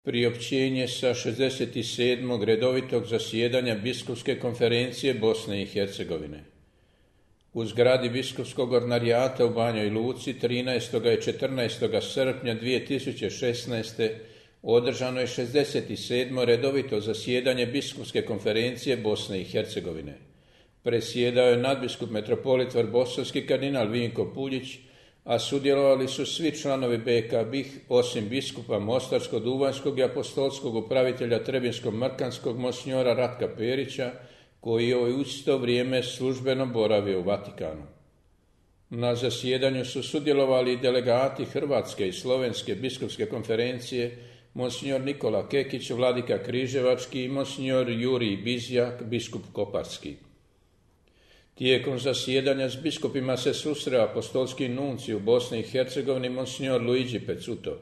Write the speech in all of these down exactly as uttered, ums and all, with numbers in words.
Priopćenje sa šezdeset sedmog redovitog zasjedanja Biskupske konferencije Bosne i Hercegovine. U zgradi Biskupskog ordinarijata u Banjoj Luci trinaestog i četrnaestog srpnja dvije tisuće šesnaeste. održano je šezdeset sedmo redovito zasjedanje Biskupske konferencije Bosne i Hercegovine. Presjedao je nadbiskup metropolit Vrbosavski kardinal Vinko Puljić, a sudjelovali su svi članovi B K B I H osim biskupa Mostarsko-Duvanjskog i apostolskog upravitelja Trebinsko-Mrkanskog monsinjora Ratka Perića, koji je u isto vrijeme službeno boravio u Vatikanu. Na zasjedanju su sudjelovali i delegati Hrvatske i Slovenske biskupske konferencije, monsinjor Nikola Kekić, vladika Križevački i monsinjor Jurij Bizjak, biskup Koparski. Tijekom zasjedanja s biskupima se susreo apostolski nuncij u Bosni i Hercegovini monsinjor Luigi Pecuto.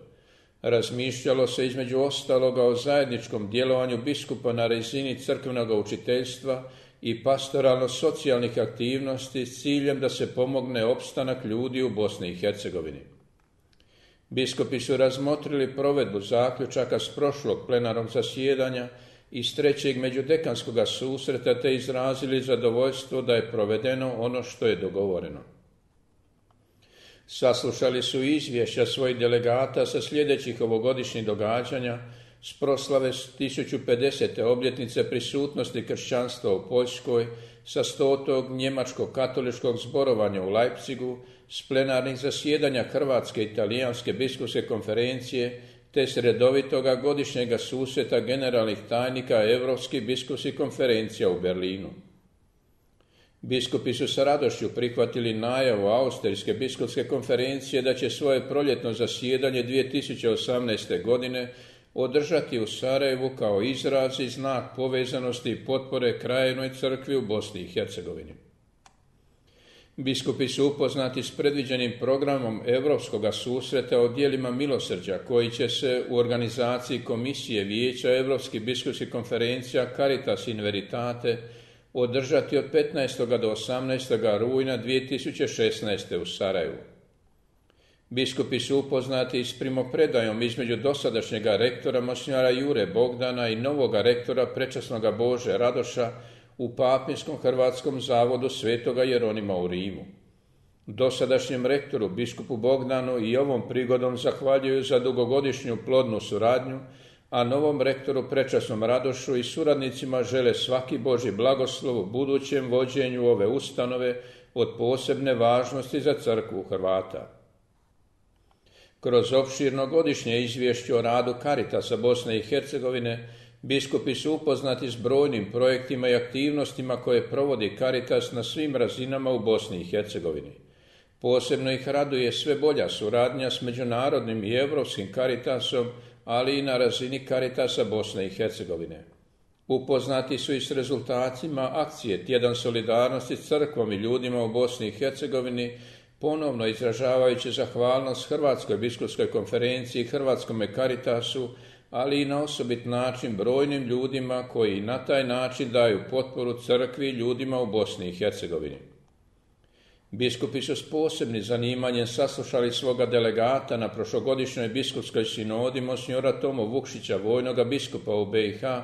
Razmišljalo se između ostaloga o zajedničkom djelovanju biskupa na razini crkvenog učiteljstva i pastoralno-socijalnih aktivnosti s ciljem da se pomogne opstanak ljudi u Bosni i Hercegovini. Biskupi su razmotrili provedbu zaključaka s prošlog plenarnog zasjedanja iz trećeg međudekanskog susreta te izrazili zadovoljstvo da je provedeno ono što je dogovoreno. Saslušali su izvješća svojih delegata sa sljedećih ovogodišnjih događanja s proslave tisuću pedesete obljetnice prisutnosti kršćanstva u Poljskoj, sa stotog njemačkog katoličkog zborovanja u Leipzigu, s plenarnih zasjedanja Hrvatske i Talijanske biskupske konferencije, te s redovitoga godišnjega susreta generalnih tajnika Europskih biskupskih konferencija u Berlinu. Biskupi su sa radošću prihvatili najavu Austrijske biskupske konferencije da će svoje proljetno zasjedanje dvije tisuće osamnaeste. godine održati u Sarajevu kao izraz i znak povezanosti i potpore krajevnoj crkvi u Bosni i Hercegovini. Biskupi su upoznati s predviđenim programom Europskog susreta o djelima milosrđa koji će se u organizaciji Komisije Vijeća Europskih biskupskih konferencija Caritas in Veritate održati od petnaestog do osamnaestog rujna dvije tisuće šesnaeste. u Sarajevu. Biskupi su upoznati s primopredajom između dosadašnjega rektora monsinjora Jure Bogdana i novoga rektora prečasnoga Bože Radoša u Papinskom hrvatskom zavodu Svetoga Jeronima u Rimu. Dosadašnjem rektoru biskupu Bogdanu i ovom prigodom zahvaljuju za dugogodišnju plodnu suradnju, a novom rektoru prečasnom Radošu i suradnicima žele svaki Božji blagoslov u budućem vođenju ove ustanove od posebne važnosti za crkvu Hrvata. Kroz opširno godišnje izvješće o radu Caritasa Bosne i Hercegovine, biskupi su upoznati s brojnim projektima i aktivnostima koje provodi Caritas na svim razinama u Bosni i Hercegovini. Posebno ih raduje sve bolja suradnja s međunarodnim i europskim Caritasom, ali i na razini Caritasa Bosne i Hercegovine. Upoznati su i s rezultatima akcije Tjedan solidarnosti s crkvom i ljudima u Bosni i Hercegovini, ponovno izražavajući zahvalnost Hrvatskoj biskupskoj konferenciji i Hrvatskome Caritasu, ali i na osobit način brojnim ljudima koji na taj način daju potporu crkvi i ljudima u Bosni i Hercegovini. Biskupi su s posebnim zanimanjem saslušali svoga delegata na prošlogodišnjoj biskupskoj sinodi monsinjora Tomu Vukšića, vojnoga biskupa u B i H,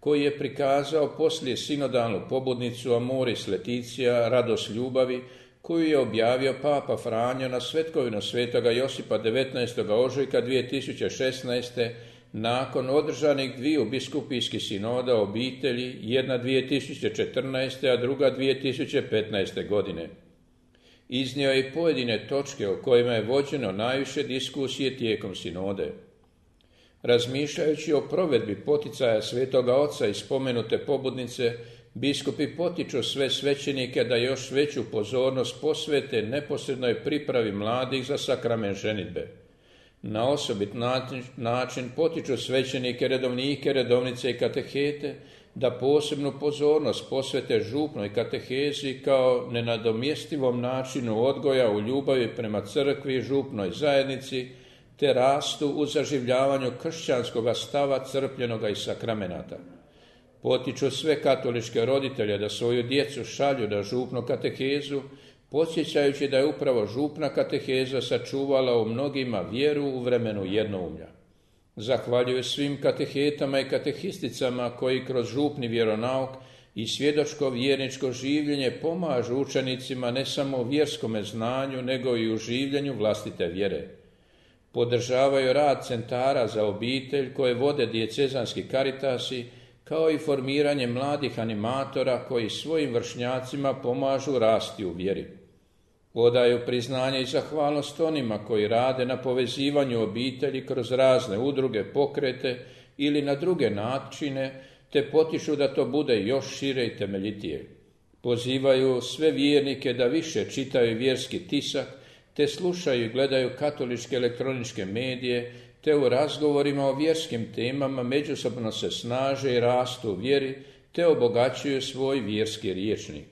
koji je prikazao poslije sinodalnu pobudnicu Amoris Laetitia, radost ljubavi, koju je objavio Papa Franjo na svetkovinu svetoga Josipa devetnaestog ožujka dvije tisuće šesnaeste. nakon održanih dviju biskupijskih sinoda obitelji, jedna dvije tisuće četrnaeste. a druga dvije tisuće petnaeste. godine. Iznio je i pojedine točke o kojima je vođeno najviše diskusije tijekom sinode. Razmišljajući o provedbi poticaja Svetoga Oca i spomenute pobudnice, biskupi potiču sve svećenike da još veću pozornost posvete neposrednoj pripravi mladih za sakrament ženidbe. Na osobit način potiču svećenike, redovnike, redovnice i katehete da posebnu pozornost posvete župnoj katehezi kao nenadomjestivom načinu odgoja u ljubavi prema crkvi i župnoj zajednici, te rastu u zaživljavanju kršćanskog stava crpljenoga iz sakramenata. Potiču sve katoličke roditelje da svoju djecu šalju na župnu katehezu, podsjećajući da je upravo župna kateheza sačuvala u mnogima vjeru u vremenu jednoumlja. Zahvaljuju svim katehetama i katehisticama koji kroz župni vjeronauk i svjedočko vjerničko življenje pomažu učenicima ne samo u vjerskome znanju, nego i u življenju vlastite vjere. Podržavaju rad centara za obitelj koje vode dijecezanski karitasi, kao i formiranje mladih animatora koji svojim vršnjacima pomažu rasti u vjeri. Odaju priznanje i zahvalnost onima koji rade na povezivanju obitelji kroz razne udruge, pokrete ili na druge načine, te potiču da to bude još šire i temeljitije. Pozivaju sve vjernike da više čitaju vjerski tisak, te slušaju i gledaju katoličke elektroničke medije, te u razgovorima o vjerskim temama međusobno se snaže i rastu u vjeri, te obogaćuju svoj vjerski rječnik.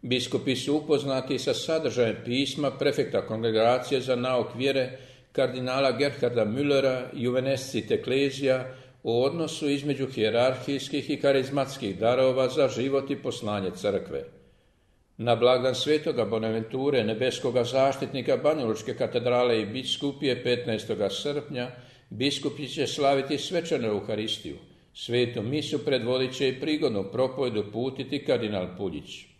Biskupi su upoznati sa sadržajem pisma prefekta Kongregacije za nauk vjere kardinala Gerharda Müllera Juvenescit Ecclesia o odnosu između hijerarhijskih i karizmatskih darova za život i poslanje crkve. Na blagdan svetoga Bonaventure, nebeskoga zaštitnika Banjalučke katedrale i biskupije petnaestog srpnja, biskupi će slaviti svečanu Euharistiju. Svetu misu predvodit će i prigodnu propovedu putiti kardinal Puljić.